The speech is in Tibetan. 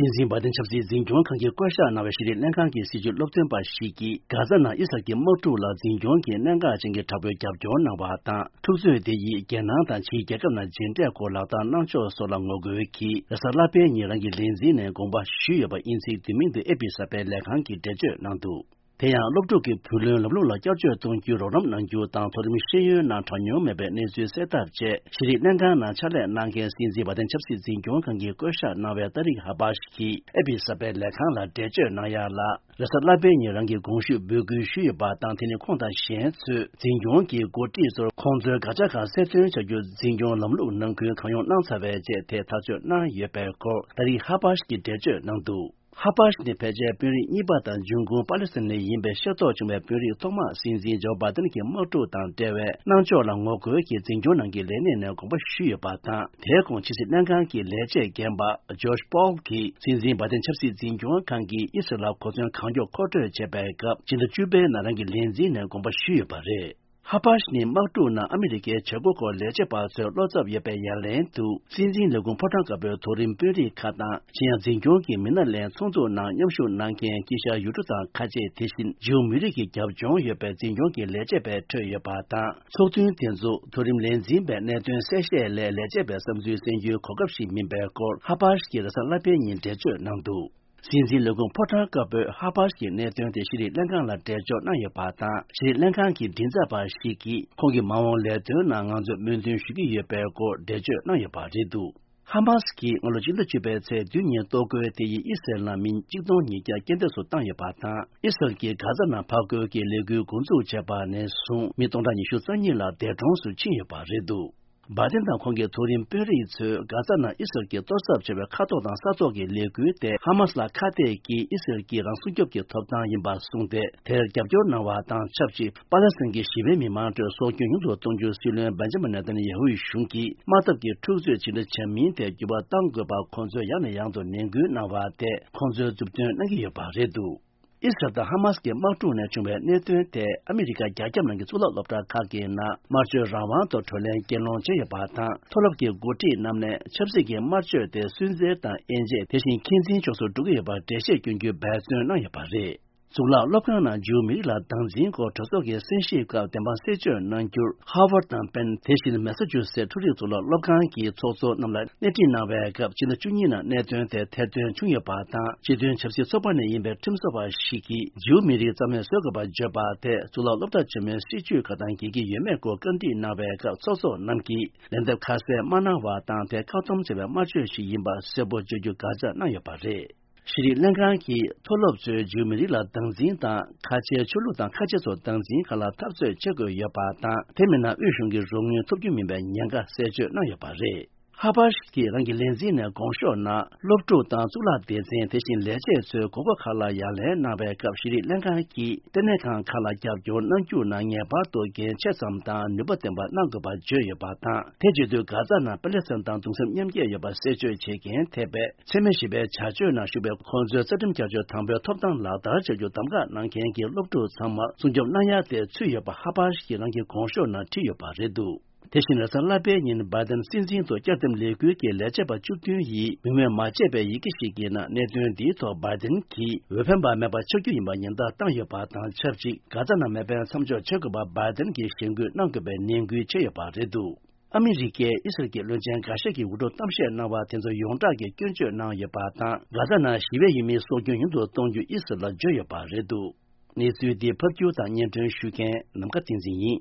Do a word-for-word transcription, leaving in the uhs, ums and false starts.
སྲིད་འཛིན་བྷའི་ཏིན་ཆབ་སྲིད་འཛིན་སྐྱོང་ཁང་གིས་བསྐོ་གཞག་གནང་བའི་ཤེས་རིག་ལྷན་ཁང་གི་སྲིད་བྱུས་སློབ་སྟོན་པ་ཞིག་གིས། གྷ་ཛ་ནང་ཨི་སི་རལ་གྱི་དམག་འཁྲུག་ལ་འཛིན་སྐྱོང་གིས་གནད་འགག་ཅན་གྱི་དྲག་པོའི་རྒྱབ་སྐྱོར་གནང་བ་དང་། འཁྲུག་རྩོད་དེ་ཡིས་རྒྱལ་ནང་དང་ཕྱིའི་རྒྱལ་ཁབ་ནང་མཇལ་འཕྲད་སྐོར་ལག་བསྟར་གནང་ཕྱོགས་སོགས་ལ་ངོ་རྒོལ་གྱིས། རེས་གཟའ་ལྷག་པའི་ཉིན་རང་གི་ལས་འཛིན་ནས་དགོངས་པ་ཞུས་ཡོད་པ་ཡིན་ཚུལ། དེ་མིན་དུ་ཨེ་པི་གསར་པའི་ལས་ཁང་གིས་འགྲེལ་བརྗོད་གནང་འདུག། དེ་ཡང་སློབ་ཕྲུག་གི་བུ་ལོན་ལམ་ལུགས་ལ་བསྐྱར་བཅོས་གཏོང་རྒྱུའི་རོགས་རམ་གནང་རྒྱུ་དང་། མཐོ་རིམ་ཤེས་ཡོན་ནང་གྲངས་ཉུང་མེད་པའི་གནས་ཚུལ་གསལ་ཐབས་བཅས། ཤེས་རིག་ལྷན་ཁང་ནང་ཕྱག་ལས་གནང་མཁན་སྲིད་འཛིན་བྷའི་ཏིན་ཆབ་སྲིད་འཛིན་སྐྱོང་ཁང་གིས་བསྐོ་གཞག་གནང་བའི་ཏཱ་རིག་ཧ་པཱཤ་གིས་ཨེ་པི་གསར་པའི་ལས་ཁང་ལ་འགྲེལ་བརྗོད་གནང་ཡ་ལ། རེས་གཟའ་ལྷག་པའི་ཉིན་རང་གི་དགོངས་ཞུ་འབོད་སྐུལ་ཞུས་ཡོད་པ་དང་། དེ་ནི་ཁོང་དང་གཞན་ཚོས་འཛིན་སྐྱོང་གི་འགོ་ཁྲིད་ཚོར་ཁོང་ཚོའི་དགག་བྱ་ཁག་གསལ་སྟོན་བྱ་རྒྱུ་འཛིན་སྐྱོང་ལམ་ལུགས་ནང་ཁུལ་གང་ཡོང་གནང་ཚར་བའི་རྗེས་དེ་ཐག་གཅོད་གནང་ཡོད་པའི་སྐོར་ཏཱ་རིག་ཧ་པཱཤ་གིས་འགྲེལ་བརྗོད་གནང་འདུག། ཧ་པཱཤ་ནི་ཕལ་ཆེར་དཔོན་རིགས་གཉིས་པ་དང་འབྱུང་ཁུངས་པ་ལེ་སི་ཐན་ནས་ཡིན་པའི་ཤེས་རྟོགས་བྱུང་བའི་དཔོན་རིགས་ཐོག་མ། སྲིད་འཛིན་ཇོ་བྷའི་ཏིན་གྱི་དམག་འཁྲུག་དང་འབྲེལ་བའི་གནང་ཕྱོགས་ལ་ངོ་རྒོལ་གྱིས་འཛིན་སྐྱོང་ནང་གི་ལས་གནས་ནས་དགོངས་པ་ཞུས་ཡོད་པ་དང་། དེའི་གོང་ཕྱི་སྲིད་ལྷན་ཁང་གི་ལས་བྱེད་རྒན་པ་ཇོཤ་པོལ་གྱིས་སྲིད་འཛིན་བྷའི་ཏིན་ཆབ་སྲིད་འཛིན་སྐྱོང་ཁང་གིས་ཨི་སི་རལ་ལ་གོ་མཚོན་གང་མགྱོགས་མཁོ་སྤྲོད་བྱེད་པའི་སྐབས། ཕྱི་ཟླ་བཅུ་པའི་ནང་རང་གི་ལས་འཛིན་ནས་དགོངས་པ་ཞུས་ཡོད་པ་རེད། ཧ་པཱཤ་ནི་དམག་འཁྲུག་ནང་ཨ་མི་རི་ཀའི་བྱེད་སྒོ་སྐོར་ལས་བྱེད་པ་ཚོའི་བློ་འཚབ་ཡོད་པའི་ཡ་ལན་དུ། སྲིད་འཛིན་ལས་ཁུངས་ཕོ་བྲང་དཀར་པོའི་མཐོ་རིམ་དཔོན་རིགས་ཁག་དང་། གཞན་ཡང་འཛིན་སྐྱོང་གི་མི་སྣ་ལྷན་ཚོགས་འཛུགས་ནང་མཉམ་ཞུགས་གནང་མཁན་དཀྱིལ་ཤར་ཡུལ་གྲུ་དང་ཁ་ཆེ། དེ་བཞིན་ཇིའུ་མི་རིགས་ཀྱི་རྒྱབ་ལྗོངས་ཡོད་པའི་འཛིན་སྐྱོང་གི་ལས་བྱེད་པའི་ཁྲོད་ཡོད་པ་དང་། ཚོགས་ཐུན་དེ་ཚོ་མཐོ་རིམ་ལས་འཛིན་པའི་གནད་དོན་གསལ་བཤད་ལས་ལས་བྱེད་པའི་བསམ་ཚུལ་གསན་རྒྱུའི་གོ་སྐབས་ཤིག་མིན་པའི་སྐོར། ཧ་པཱཤ་གིས་རེས་གཟའ་ལྷག་པའི་ཉིན་འགྲེལ་བརྗོད་གནང་འདུག། སྲིད་འཛིན་ལས་ཁུངས་ཕོ་བྲང་དཀར་པོས་ཧ་པཱཤ་གི་གནད་དོན་དེ་ཤེས་རིག་ལྷན་ཁང་ལ་འགྲེལ་བརྗོད་གནང་ཡོད་པ་དང་། ཤེས་རིག་ལྷན་ཁང་གི་མགྲིན་ཚབ་པ་ཞིག་གིས། ཁོང་གི་མ་འོངས་ལས་དོན་ནང་ང་ཚོས་སྨོན་འདུན་ཞུ་གི་ཡོད་པའི་སྐོར་འགྲེལ་བརྗོད་གནང་ཡོད་པ་རེད་འདུག། ཧ་མཱ་སི་ཀྱིས་སྔ་ལོ་སྤྱི་ཟླ་བཅུ་པའི་ཚེས་བདུན་ཉིན་གཏོར་རྒོལ་དེ་ཡིས་ཨི་སི་རལ་ནང་མི་གཅིག་སྟོང་ཉིས་བརྒྱ་རྐྱེན་འདས་སུ་བཏང་ཡོད་པ་དང་། ཨི་སི་རལ་གྱིས་གྷ་ཛ་ནང་ཕར་རྒོལ་གྱི་ལས་འགུལ་འགོ་འཛུགས་བྱས་པ་ནས་བཟུང་། མི་སྟོང་ཕྲག་ཉི་ཤུ་རྩ་གཉིས་ལ་འདས་གྲོངས་སུ་ཕྱིན་ཡོད་པ་རེད་འདུག། བྷའི་ཏིན་དང་ཁོང་གི་མཐོ་རིམ་དཔོན་རིགས་ཚོས་གྷ་ཛ་ནང་ཨི་སི་རལ་གྱིས་གཏོར་ཚབ་བྱས་པའི་མཁའ་ཐོག་དང་ས་ཐོག་གི་ལས་འགུལ་དེ། ཧ་མཱ་སི་ལ་ཁ་གཏད་ཀྱིས་ཨི་སི་རལ་གྱི་རང་སྲུང་སྐྱོབ་ཀྱི་ཐོབ་ཐང་ཡིན་པ་གསུངས་ཏེ། དེར་རྒྱབ་སྐྱོར་གནང་བ་དང་ཆབས་ཅིག། པ་ལེ་སི་ཐན་གྱི་ཞི་བའི་མི་མང་ཁྲོད་སྲོག་སྐྱོན་ཉུང་དུ་གཏོང་རྒྱུ། སྲིད་བློན་བེན་ཇ་མིན་ནེ་ཐན་ཡ་ཧུའི་གཞུང་གིས། དམག་འཐབ་ཀྱི་འཁྲུག་རྩོད་ཇི་འདྲ་བྱ་མིན་ཐད་འགྱུར་བ་གཏང་དགོས་པར་ཁོང་ཚོས་ཡང་ནས་ཡང་དུ་ནན་སྐུལ་གནང་བ་དེས། ཁོང་ཚོའི་མཛུབ་སྟོན་གནང་གི་ཡོད་པ་རེད་འདུག། ཨི་སི་རལ་དང་ཧ་མཱ་སི་ཀྱི་དམག་འཁྲུག་ནས་བྱུང་བའི་གནད་དོན་དེ། ཨ་མི་རི་ཀ་རྒྱ་ཁྱབ་ནང་གི་གཙུག་ལག་སློབ་གྲྭ་ཁག་གི་ནང་། དམར་གཅོད་རང་དབང་ཐོག་གྲོས་གླེང་གྱེན་ལངས་བྱས་ཡོད་པ་དང་། མཐོ་སློབ་ཀྱི་འགོ་ཁྲིད་རྣམས་ནས། ཆབ་སྲིད་ཀྱི་དམར་གཅོད་དེ་སུན་གཙེར་དང་དབྱེ་འབྱེད། དེ་བཞིན་འཁོན་འཛིན་ཕྱོགས་སུ་འགྲོ་གི་ཡོད་པར་འགྲེལ་བཤད་སྐྱོན་རྒྱུའི་འབད་བརྩོན་གནང་ཡོད་པ་རེད། གཙུག་ལག་སློབ་ཁང་ནང་ཇིའུ་མི་རིགས་ལ་སྟངས་འཛིན་སྐོར་གྲོས་ཚོགས་ཀྱི་གསན་ཞིབ་སྐབས་བདེན་དཔང་གསལ་བརྗོད་གནང་རྒྱུར། ཧར་ཝར་དང་པེན། དེ་བཞིན་མེ་ས་ཅུ་སེ་འཕྲུལ་རིག་གཙུག་ལག་སློབ་ཁང་གི་ཚོགས་གཙོ་རྣམས་ལ་སྣེ་ཁྲིད་གནང་བའི་སྐབས། ཕྱི་ཟླ་བཅུ་གཉིས་ནང་གནད་དོན་དེ་ཐེར་འདོན་བྱུང་ཡོད་པ་དང་། སྤྱི་མཐུན་ཆབ་སྲིད་ཚོགས་པ་ནས་ཡིན་པའི་ཁྲིམས་བཟོ་བ་ཞིག་གིས། ཇིའུ་མི་རིགས་རྩ་མེད་བཟོ་དགོས་པར་བརྗོད་པ་དེ། གཙུག་ལག་སློབ་གྲྭ་ཆེན་མོའི་སྲིད་བྱུས་ཁག་དང་འགལ་གྱི་ཡོད་མེད་སྐོར་བཀའ་འདྲི་གནང་བའི་སྐབས། ཚོགས་གཙོ་རྣམས་ཀྱིས་ལན་འདེབས་ཁ་གསལ་མ་གནང་བ་དང་། དེ་བཀག་སྡོམ་བྱས་པའི་དམར་གཅོད་ཞིག་ཡིན་པ་གསལ་པོ་བརྗོད་རྒྱུ་དགག་བྱ་གནང་ཡོད་པ་རེད། ཤེས་རིག་ལྷན་ཁང་གིས་མཐོ་སློབ་ཚོས་ཇིའུ་མི་རིགས་ལ་སྟངས་འཛིན་དང་། ཁ་ཆེའི་ཆོས་ལུགས་དང་ཁ་ཆེ་ཚོར་སྟངས་འཛིན་ཁག་ལ་འཐབ་རྩོད་བྱེད་དགོས་ཡོད་པ་དང་། དེ་མིན་ན་དབུས་གཞུང་གི་རོགས་དངུལ་ཐོབ་རྒྱུ་མིན་པའི་ཉེན་ཁ་གསལ་བརྗོད་གནང་ཡོད་པ་རེད། ཧ་པཱཤ་གིས་རང་གི་ལས་འཛིན་ནས་དགོངས་ཞུ་གནང་། སློབ་ཕྲུག་དང་གཙུག་ལག་སྡེ་ཚན། དེ་བཞིན་ལས་བྱེད་ཚོའི་དགོས་མཁོ་ཁག་ལ་ཡ་ལན་གནང་བའི་སྐབས། ཤེས་རིག་ལྷན་ཁང་གིས་ལྟེ་གནས་ཁང་ཁག་ལ་རྒྱབ་སྐྱོར་གནང་རྒྱུ་ནང་ངེས་པར་དུ་འགན་ཆེ་ཙམ་དང་ནུས་པ་ལྡན་པ་གནང་དགོས་པ་བརྗོད་ཡོད་པ་དང་། དེ་བྱེད་དུས་གྷ་ཛ་ནང་པ་ལེ་སི་ཐན་དང་གདུང་སེམས་མཉམ་སྐྱེད་ཡོད་པ་གསལ་བརྗོད་བྱེད་མཁན་ཐེ་བའི་འཚེ་མེད་ཞི་བའི་བྱ་སྤྱོད་ནང་ཞུགས་པའི་ཁོང་ཚོའི་རྩ་ཁྲིམས་བསྐྱར་བཅོས་དང་པོའི་ཐོབ་ཐང་ལག་བསྟར་བྱ་རྒྱུ་གདམ་ག་གནང་མཁན་གྱི་སློབ་ཕྲུག་ཚང་མར་སྲུང་སྐྱོབ་གནང་ཡ་དེ་ཚུད་ཡོད་པ་ཧ་པཱཤ་གིས་རང་གི་དགོངས་ཞུ་ནང་བྲིས་ཡོད་པ་རེད་འདུག། དེ་བཞིན་རེས་གཟའ་ལྷག་པའི་ཉིན་བྷའི་ཏིན་སྲིད་འཛིན་དུ་བསྐྱར་འདེམས་ལས་འགུལ་གྱི་ལས་བྱེད་པ་བཅུ་བདུན་ཡིས་མིང་འོས་མ་བྱས་པའི་ཡི་གེ་ཞིག་གི་ནང་གནད་དོན་འདིའི་ཐོག་བྷའི་ཏིན་གྱིས་འོས་འཕེན་པ་མེད་པ་ཆགས་རྒྱུ་ཡིན་པ་ཉེན་བརྡ་བཏང་ཡོད་པ་དང་ཆབས་ཅིག་གྷ་ཛ་ནང་མེ་འཕེན་མཚམས་འཇོག་བྱེད་དགོས་པར་བྷའི་ཏིན་གྱིས་ཞེན་སྐུལ་གནང་དགོས་པའི་ནན་སྐུལ་བྱས་ཡོད་པ་རེད་འདུག། ཨ་མི་རི་ཀས་ཨི་སི་རལ་གྱི་བློན་ཆེན་འགའ་ཤས་ཀྱི་འུར་སྒྲོག་གཏམ་བཤད་གནང་བ་དེ་ཚོ་ཡོངས་གྲགས་ཀྱིས་སྐྱོན་བརྗོད་གནང་ཡོད་པ་དང་། གྷ་ཛ་ནང་ཞི་བའི་ཡུལ་མིའི་སྲོག་སྐྱོན་ཉུང་དུ་གཏོང་རྒྱུ་ཨི་སི་རལ་ལ་བརྗོད་ཡོད་པ་རེད་འདུག། གནས་ཚུལ་འདི་ཕབ་སྒྱུར་དང་སྙན་སྒྲོན་ཞུ་མཁན་ནམ་མཁའ་བསྟན་འཛིན་ཡིན།